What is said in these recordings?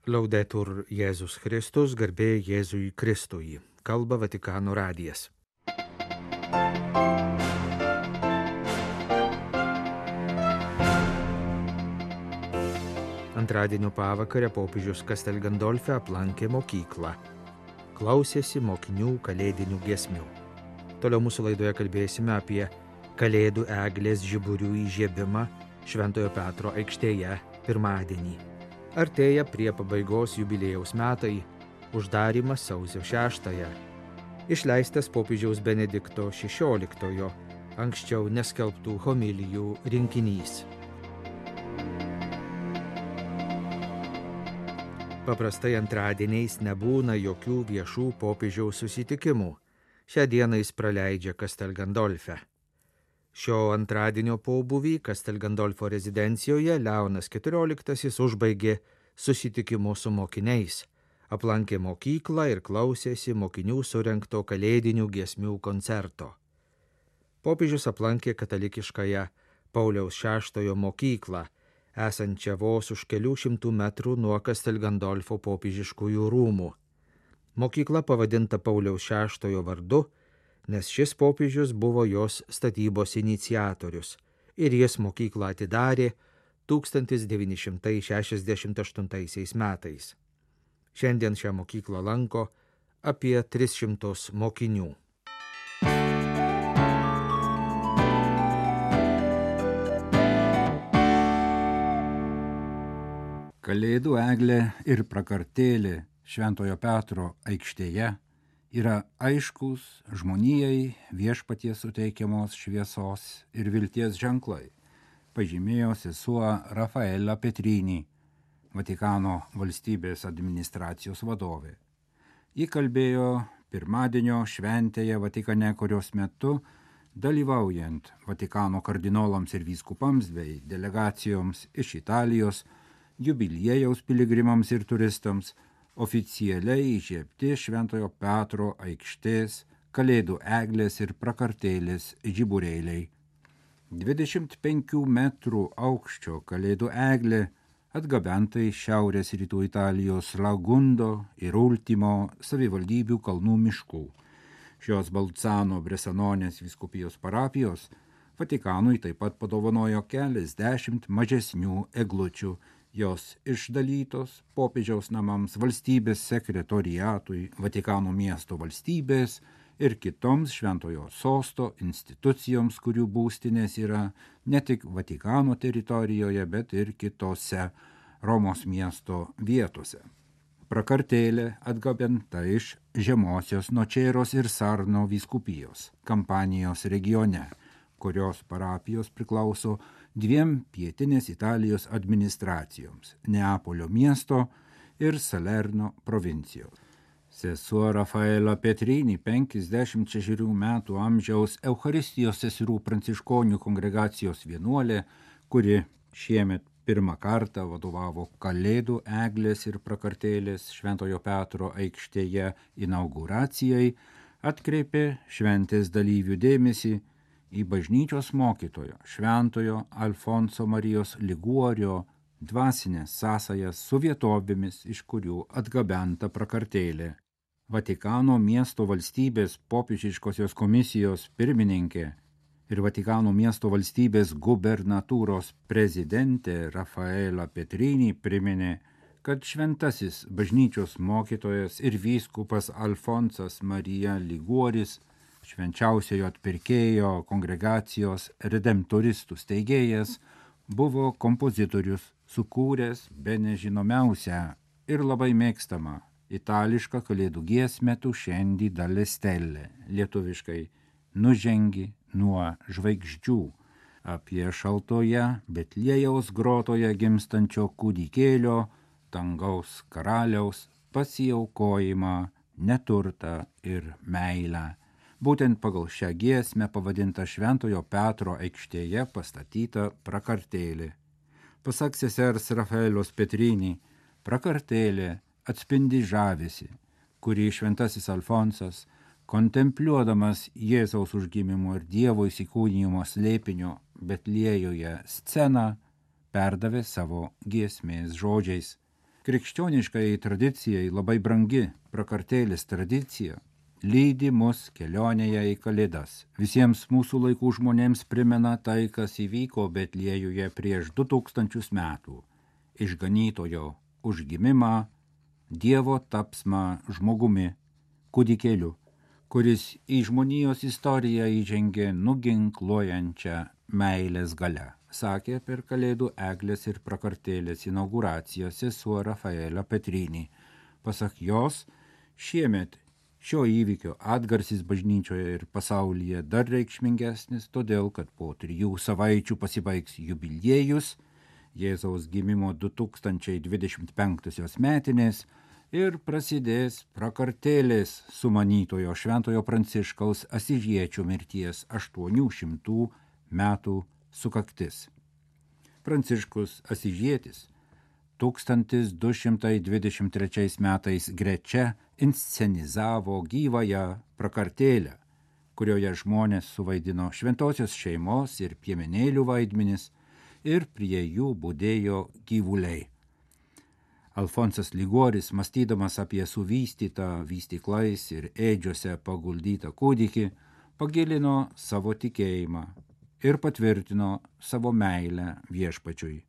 Laudetur Jėzus Kristus, garbė Jėzui Kristui. Kalba Vatikano radijas. Antradienio pavakarę popiežius Castel Gandolfe aplankė mokyklą. Klausėsi mokinių kalėdinių giesmių. Toliau mūsų laidoje kalbėsime apie Kalėdų eglės žiburių įžiebimą Šventojo Petro aikštėje pirmadienį. Artėja prie pabaigos jubiliejaus metai, uždarymas sausio 6-ąją. Išleistas popiežiaus Benedikto XVI, anksčiau neskelbtų homilijų rinkinys. Paprastai antradieniais nebūna jokių viešų popiežiaus susitikimų. Šią dieną jis praleidžia Castel Gandolfe. Šio antradienio pobūvį Castel Gandolfo rezidencijoje Leonas XIV užbaigė susitikimu su mokiniais, aplankė mokyklą ir klausėsi mokinių surengto kalėdinių giesmių koncerto. Popiežius aplankė katalikiškąją Pauliaus VI mokyklą, esančią vos už kelių šimtų metrų nuo Castel Gandolfo popiežiškųjų rūmų. Mokykla pavadinta Pauliaus VI vardu, nes šis popiežius buvo jos statybos iniciatorius ir jis mokyklą atidarė 1968 metais. Šiandien šią mokyklą lanko apie 300 mokinių. Kalėdų eglė ir prakartėlė Šventojo Petro aikštėje yra aiškus žmonijai viešpaties suteikiamos šviesos ir vilties ženklai, pažymėjo sesuo Rafaela Petrini, Vatikano valstybės administracijos vadovė. Ji kalbėjo pirmadienio šventėje Vatikane, kurios metu, dalyvaujant Vatikano kardinolams ir vyskupams bei delegacijoms iš Italijos, jubiliejaus piligrimams ir turistams, oficialiai įžiebti Šventojo Petro aikštės, Kalėdų eglės ir prakartėlės žiburėliai. 25 metrų aukščio Kalėdų eglė atgabenta iš šiaurės rytų Italijos Lagundo ir Ultimo savivaldybių kalnų miškų. Šios Balzano Bresanonės vyskupijos parapijos Vatikanui taip pat padovanojo keliasdešimt mažesnių eglučių. Jos išdalytos popiežiaus namams, valstybės sekretoriatui, Vatikano miesto valstybės ir kitoms šventojo sosto institucijoms, kurių būstinės yra ne tik Vatikano teritorijoje, bet ir kitose Romos miesto vietose. Prakartėlė atgabenta iš Žemosios Nočeros ir Sarno vyskupijos, Kampanijos regione, kurios parapijos priklauso dviem pietinės Italijos administracijoms – Neapolio miesto ir Salerno provincijos. Sesuo Rafaela Petrini, 56 metų amžiaus Eucharistijos seserų pranciškonių kongregacijos vienuolė, kuri šiemet pirmą kartą vadovavo Kalėdų eglės ir prakartėlės Šventojo Petro aikštėje inauguracijai, atkreipė šventės dalyvių dėmesį į bažnyčios mokytojo Šventojo Alfonso Marijos Liguorio dvasinės sąsajas su vietovėmis, iš kurių atgabenta prakartėlė. Vatikano miesto valstybės popiežiškosios komisijos pirmininkė ir Vatikano miesto valstybės gubernatūros prezidentė Rafaela Petrini priminė, kad šventasis bažnyčios mokytojas ir vyskupas Alfonsas Marija Liguoris, švenčiausiojo atpirkėjo kongregacijos redemptoristų steigėjas, buvo kompozitorius, sukūręs bene žinomiausią ir labai mėgstamą itališką kalėdų giesmę Tu scendi dalle stelle, lietuviškai Nužengi nuo žvaigždžių, apie šaltoje Betliejaus grotoje gimstančio kūdikėlio, dangaus karaliaus pasiaukojimą, neturtą ir meilę. Būtent pagal šią giesmę pavadinta Šventojo Petro aikštėje pastatyta prakartėlė. Pasak sesers Rafaelos Petrini, prakartėlė atspindi žavesį, kurį šventasis Alfonsas, kontempliuodamas Jėzaus užgimimo ir Dievo įsikūnijimo slėpinio Betliejoje sceną, perdavė savo giesmės žodžiais. Krikščioniškai tradicijai labai brangi prakartėlės tradicija lydi mus kelionėje į Kalėdas. Visiems mūsų laikų žmonėms primena tai, kas įvyko Betliejuje prieš 2000 metų. Išganytojo užgimimą, Dievo tapsmą žmogumi, kūdikėliu, kuris į žmonijos istoriją įžengė nuginkluojančią meilės galią, sakė per Kalėdų eglės ir prakartėlės inauguraciją sesuo Rafaela Petrini. Pasak jos, šiemet šio įvykio atgarsis bažnyčioje ir pasaulyje dar reikšmingesnis, todėl kad po 3 savaičių pasibaigs jubiliejus, Jėzaus gimimo 2025 metinės, ir prasidės prakartėlės sumanytojo Šventojo Pranciškaus Asyžiečio mirties 800 metų sukaktis. Pranciškus Asyžietis 1223 metais Grečia inscenizavo gyvąją prakartėlę, kurioje žmonės suvaidino šventosios šeimos ir piemenėlių vaidmenis ir prie jų budėjo gyvuliai. Alfonsas Ligoris, mąstydamas apie suvystytą vystyklais ir ėdžiuose paguldytą kūdikį, pagilino savo tikėjimą ir patvirtino savo meilę viešpačiui.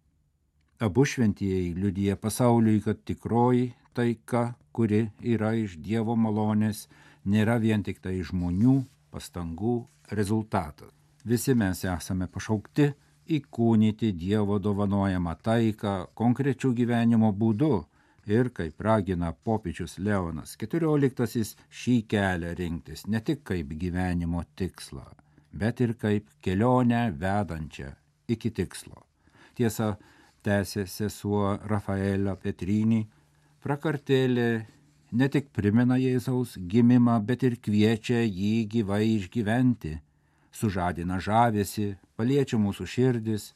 Abu šventieji liudija pasauliui, kad tikroji taika, kuri yra iš Dievo malonės, nėra vien tik tai žmonių pastangų rezultatas. Visi mes esame pašaukti įkūnyti Dievo dovanojamą taiką konkrečių gyvenimo būdu ir, kaip ragina popiežius Leonas XIV, šį kelią rinktis ne tik kaip gyvenimo tikslą, bet ir kaip kelionę vedančią iki tikslo. Tiesa, tęsė sesuo Rafaela Petrini, prakartėlė ne tik primena Jėzaus gimimą, bet ir kviečia jį gyvai išgyventi, sužadina žavesį, paliečia mūsų širdis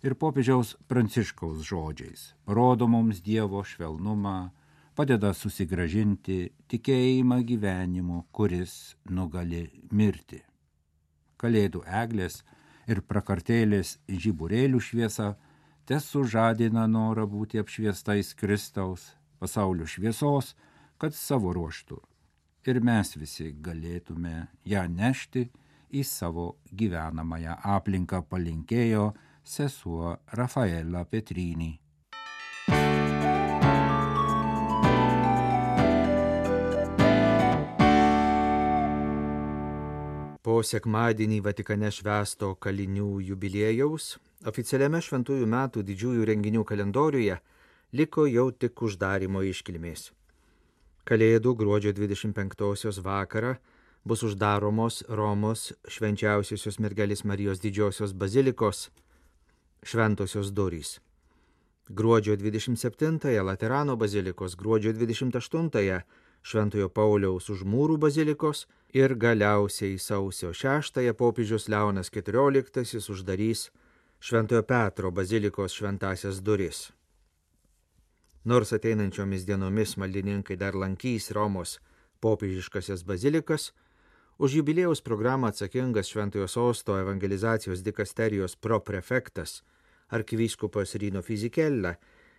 ir popiežiaus Pranciškaus žodžiais parodo mums Dievo švelnumą, padeda susigrąžinti tikėjimą gyvenimu, kuris nugali mirtį. Kalėdų eglės ir prakartėlės žiburėlių šviesa tesužadina norą būti apšviestais Kristaus, pasaulio šviesos, kad savo ruožtu ir mes visi galėtume ją nešti į savo gyvenamąją aplinką, palinkėjo sesuo Rafaela Petrini. Po sekmadienį Vatikane švęsto kalinių jubiliejaus, oficialiame šventųjų metų didžiųjų renginių kalendoriuje liko jau tik uždarimo iškilmės. Kalėdų gruodžio 25 vakarą bus uždaromos Romos švenčiausiosios mergelės Marijos didžiosios bazilikos šventosios durys. Gruodžio 27 Laterano bazilikos, gruodžio 28 Šventojo Pauliaus už mūrų bazilikos ir galiausiai sausio 6 popiežius Leonas XIV uždarys Šventojo Petro bazilikos šventasias duris. Nors ateinančiomis dienomis maldininkai dar lankys Romos popiežiškasias bazilikas, už jubiliejaus programą atsakingas Šventojo Sosto evangelizacijos dikasterijos proprefektas arkivyskupas Rino Fisichella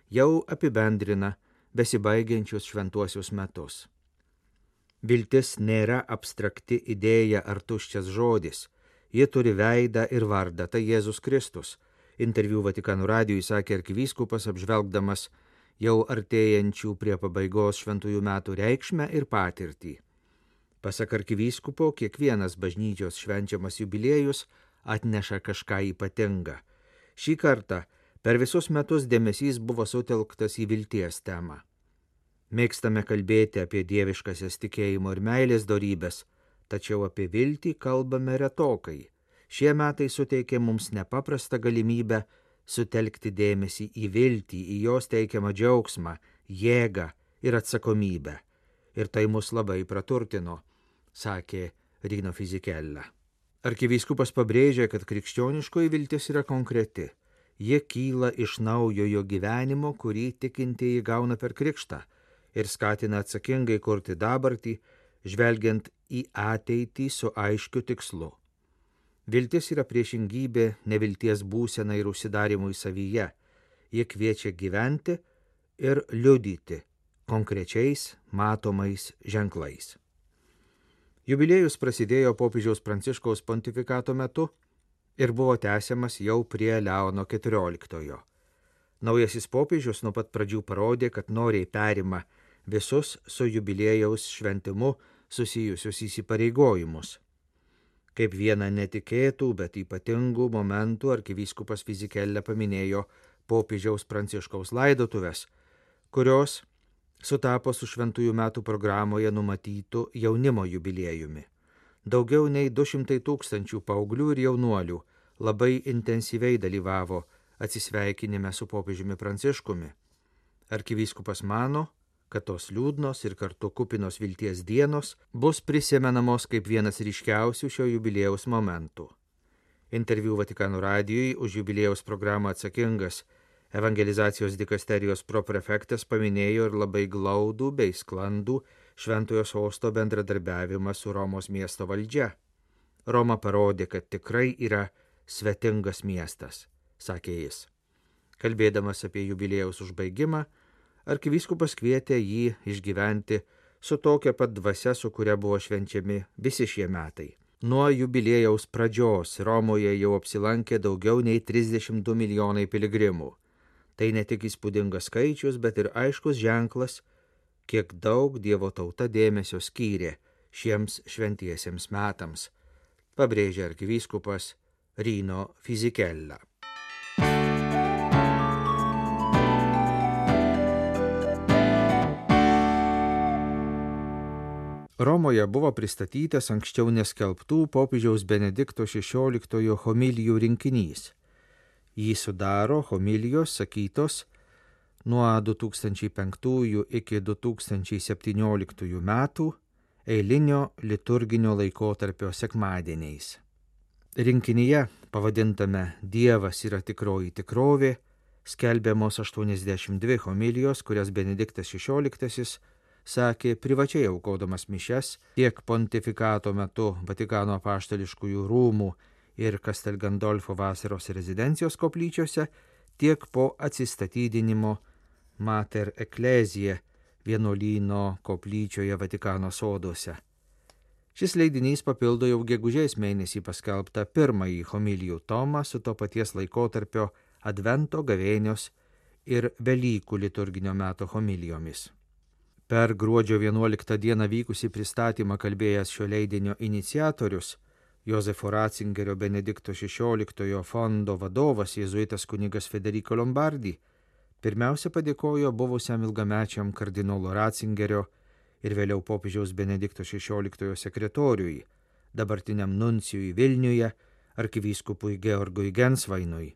jau apibendrina besibaigiančius šventuosius metus. Viltis nėra abstrakti idėja ar tuščias žodis, ji turi veidą ir vardą, tai Jėzus Kristus. Interviu Vatikano radijui sakė arkivyskupas, apžvelgdamas jau artėjančių prie pabaigos šventųjų metų reikšmę ir patirtį. Pasak arkivyskupo, kiekvienas bažnyčios švenčiamas jubiliejus atneša kažką ypatingą. Šį kartą per visus metus dėmesys buvo sutelktas į vilties temą. Mėgstame kalbėti apie dieviškasias tikėjimo ir meilės dorybės, tačiau apie viltį kalbame retokai. Šie metai suteikė mums nepaprastą galimybę sutelkti dėmesį į viltį, į jos teikiamą džiaugsmą, jėgą ir atsakomybę. Ir tai mus labai praturtino, sakė Rino Fisichella. Arkivyskupas pabrėžė, kad krikščioniškoji viltis yra konkreti. Ji kyla iš naujojo gyvenimo, kurį tikintieji gauna per krikštą ir skatina atsakingai kurti dabartį, žvelgiant į ateitį su aiškiu tikslu. Viltis yra priešingybė nevilties būsenai ir užsidarimui savyje. Ji kviečia gyventi ir liudyti konkrečiais matomais ženklais. Jubiliejus prasidėjo popiežiaus Pranciškaus pontifikato metu ir buvo tęsiamas jau prie Leono XIV. Naujasis popiežius nuo pat pradžių parodė, kad noriai perima visus su jubiliejaus šventimu susijusius įsipareigojimus. Kaip vieną netikėtų, bet ypatingų momentų arkivyskupas Fizikelle paminėjo popiežiaus Pranciškaus laidotuves, kurios sutapo su šventųjų metų programoje numatytų jaunimo jubiliejumi. Daugiau nei 200 000 paauglių ir jaunuolių labai intensyviai dalyvavo atsisveikinime su popiežiumi Pranciškumi. Arkivyskupas mano, kad tos liūdnos ir kartu kupinos vilties dienos bus prisimenamos kaip vienas ryškiausių šio jubiliejaus momentų. Interviu Vatikano radijui už jubiliejaus programą atsakingas evangelizacijos dikasterijos proprefektas paminėjo ir labai glaudų bei sklandų Šventojo Sosto bendradarbiavimą su Romos miesto valdžia. Roma parodė, kad tikrai yra svetingas miestas, sakė jis. Kalbėdamas apie jubiliejaus užbaigimą, arkivyskupas kvietė jį išgyventi su tokia pat dvasia, su kuria buvo švenčiami visi šie metai. Nuo jubiliejaus pradžios Romoje jau apsilankė daugiau nei 32 milijonai piligrimų. Tai ne tik įspūdingas skaičius, bet ir aiškus ženklas, kiek daug Dievo tauta dėmesio skyrė šiems šventiesiems metams, pabrėžė arkivyskupas Rino Fizikella. Romoje buvo pristatytas anksčiau neskelbtų popiežiaus Benedikto XVI homilijų rinkinys. Jį sudaro homilijos sakytos nuo 2005 iki 2017 metų eilinio liturginio laikotarpio sekmadieniais. Rinkinyje, pavadintame Dievas yra tikroji tikrovė, skelbiamos 82 homilijos, kurias Benediktas XVI sakė privačiai aukodamas mišias tiek pontifikato metu Vatikano apaštališkųjų rūmų ir Castel Gandolfo vasaros rezidencijos koplyčiose, tiek po atsistatydinimo Mater Ecclesiae vienuolyno koplyčioje Vatikano soduose. Šis leidinys papildo jau gegužės mėnesį paskelbtą pirmąjį homilijų tomą su to paties laikotarpio Advento, gavėnios ir Velykų liturginio meto homilijomis. Per gruodžio 11 dieną vykusį pristatymą kalbėjęs šio leidinio iniciatorius, Jozefo Ratzingerio Benedikto XVI fondo vadovas jėzuitas kunigas Federico Lombardi, pirmiausia padėkojo buvusiam ilgamečiam kardinolo Ratzingerio ir vėliau popiežiaus Benedikto XVI sekretoriui, dabartiniam nuncijui Vilniuje, arkivyskupui Georgui Gensvainui,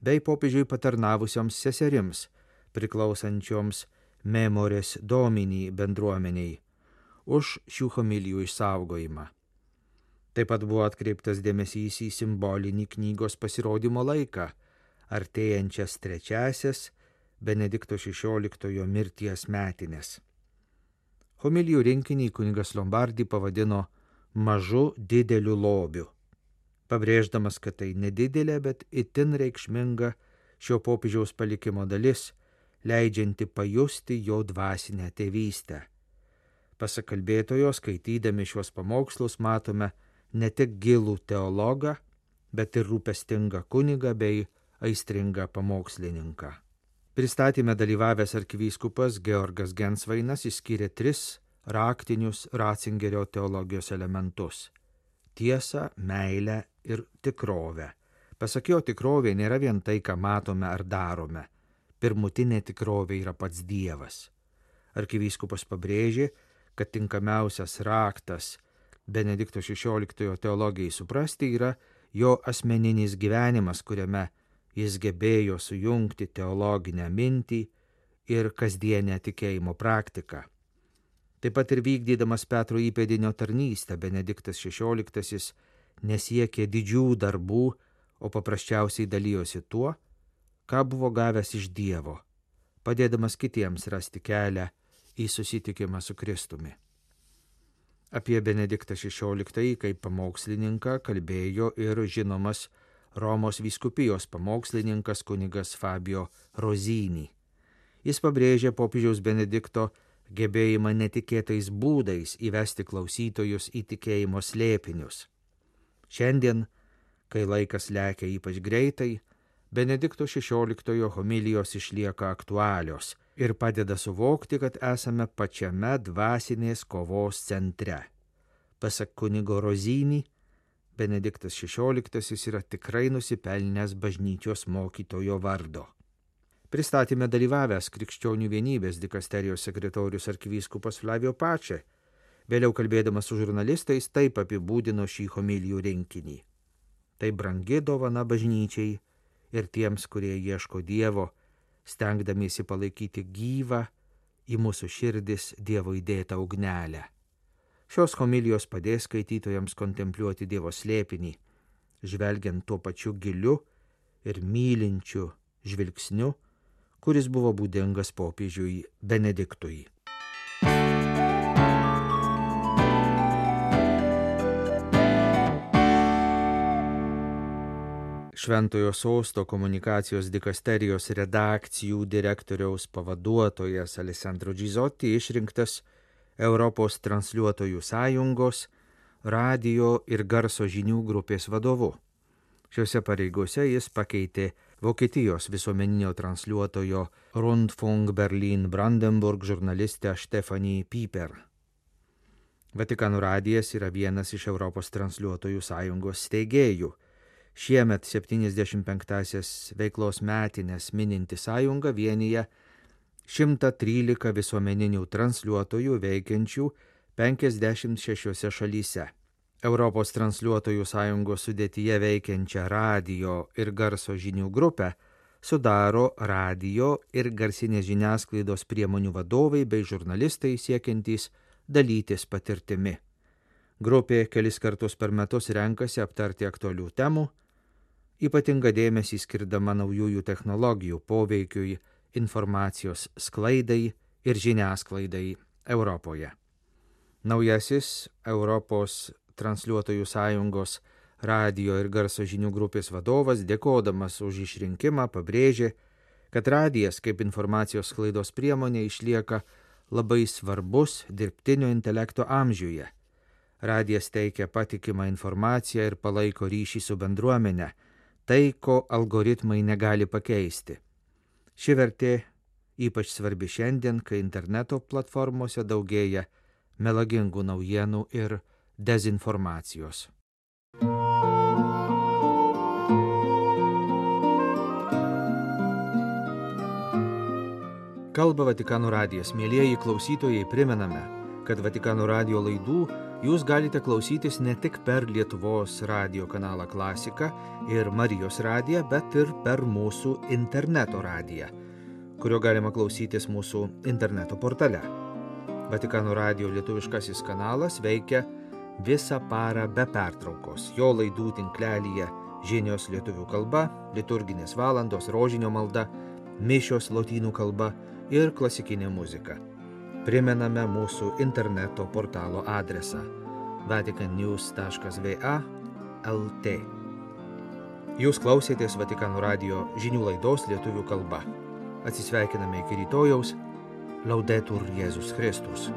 bei popiežiui patarnavusioms seserims, priklausančioms Memores Domini bendruomeniai, už šių homilijų išsaugojimą. Taip pat buvo atkreiptas dėmesys į simbolinį knygos pasirodymo laiką, artėjančias 3-asias Benedikto XVI mirties metines. Homilijų rinkinį kunigas Lombardi pavadino mažu dideliu lobiu, pabrėždamas, kad tai nedidelė, bet itin reikšminga šio popiežiaus palikimo dalis, leidžianti pajusti jo dvasinę tėvystę. Pasak kalbėtojo, skaitydami šios pamokslus matome ne tik gilų teologą, bet ir rūpestingą kunigą bei aistringą pamokslininką. Pristatyme dalyvavęs arkivyskupas Georgas Gensvainas išskyrė 3 raktinius Ratzingerio teologijos elementus – tiesą, meilę ir tikrovę. Pasak jo, tikrovė nėra vien tai, ką matome ar darome. Pirmutinė tikrovė yra pats Dievas. Arkivyskupas pabrėžė, kad tinkamiausias raktas Benedikto XVI teologijai suprasti yra jo asmeninis gyvenimas, kuriame jis gebėjo sujungti teologinę mintį ir kasdienę tikėjimo praktiką. Taip pat ir vykdydamas Petro įpėdinio tarnystę, Benediktas XVI nesiekė didžių darbų, o paprasčiausiai dalijosi tuo, ką buvo gavęs iš Dievo, padėdamas kitiems rasti kelią į susitikimą su Kristumi. Apie Benediktą XVI kaip pamokslininką kalbėjo ir žinomas Romos vyskupijos pamokslininkas kunigas Fabio Rozini. Jis pabrėžė popiežiaus Benedikto gebėjimą netikėtais būdais įvesti klausytojus į tikėjimo slėpinius. Šiandien, kai laikas lekia ypač greitai, Benedikto XVI homilijos išlieka aktualios ir padeda suvokti, kad esame pačiame dvasinės kovos centre. Pasak kunigo Rozinį, Benediktas XVI yra tikrai nusipelnęs bažnyčios mokytojo vardo. Pristatyme dalyvavęs Krikščionių vienybės dikasterijos sekretorius arkivyskupas Flavio Pače, vėliau kalbėdamas su žurnalistais, taip apibūdino šį homilijų rinkinį. Tai brangi dovana bažnyčiai ir tiems, kurie ieško Dievo, stengdamiesi palaikyti gyvą į mūsų širdis Dievo įdėtą ugnelę. Šios homilijos padės skaitytojams kontempliuoti Dievo slėpinį, žvelgiant tuo pačiu giliu ir mylinčiu žvilgsniu, kuris buvo būdingas popiežiui Benediktui. Šventojo Sosto komunikacijos dikasterijos redakcijų direktoriaus pavaduotojas Alessandro Gizotti išrinktas Europos transliuotojų sąjungos radijo ir garso žinių grupės vadovu. Šiuose pareigose jis pakeitė Vokietijos visuomeninio transliuotojo Rundfunk Berlin Brandenburg žurnalistę Stephanie Pieper. Vatikano radijas yra vienas iš Europos transliuotojų sąjungos steigėjų. Šiemet 75-asias veiklos metinės mininti sąjunga vienyje 113 visuomeninių transliuotojų veikiančių 56 šalyse. Europos transliuotojų sąjungos sudėtyje veikiančią radijo ir garso žinių grupę sudaro radijo ir garsinės žiniasklaidos priemonių vadovai bei žurnalistai siekiantys dalytis patirtimi. Grupė kelis kartus per metus renkasi aptarti aktualių temų, ypatingą dėmesį skirdama naujųjų technologijų poveikiui, informacijos sklaidai ir žiniasklaidai Europoje. Naujasis Europos transliuotojų sąjungos radijo ir garso žinių grupės vadovas, dėkodamas už išrinkimą, pabrėžė, kad radijas kaip informacijos sklaidos priemonė išlieka labai svarbus dirbtinio intelekto amžiuje. Radijas teikia patikimą informaciją ir palaiko ryšį su bendruomene, tai, ko algoritmai negali pakeisti. Ši vertė ypač svarbi šiandien, kai interneto platformose daugėja melagingų naujienų ir dezinformacijos. Kalba Vatikano radijas. Mielieji klausytojai, primename, kad Vatikano radijo laidų jūs galite klausytis ne tik per Lietuvos radijo kanalą Klasika ir Marijos radiją, bet ir per mūsų interneto radiją, kurio galima klausytis mūsų interneto portale. Vatikano radijo lietuviškasis kanalas veikia visą parą be pertraukos. Jo laidų tinklelyje žinios lietuvių kalba, liturginės valandos, rožinio malda, mišios lotynų kalba ir klasikinė muzika. Primename mūsų interneto portalo adresą vaticannews.va/lt. Jūs klausėtės Vatikano radijo žinių laidos lietuvių kalba. Atsisveikiname iki rytojaus. Laudetur Jėzus Kristus.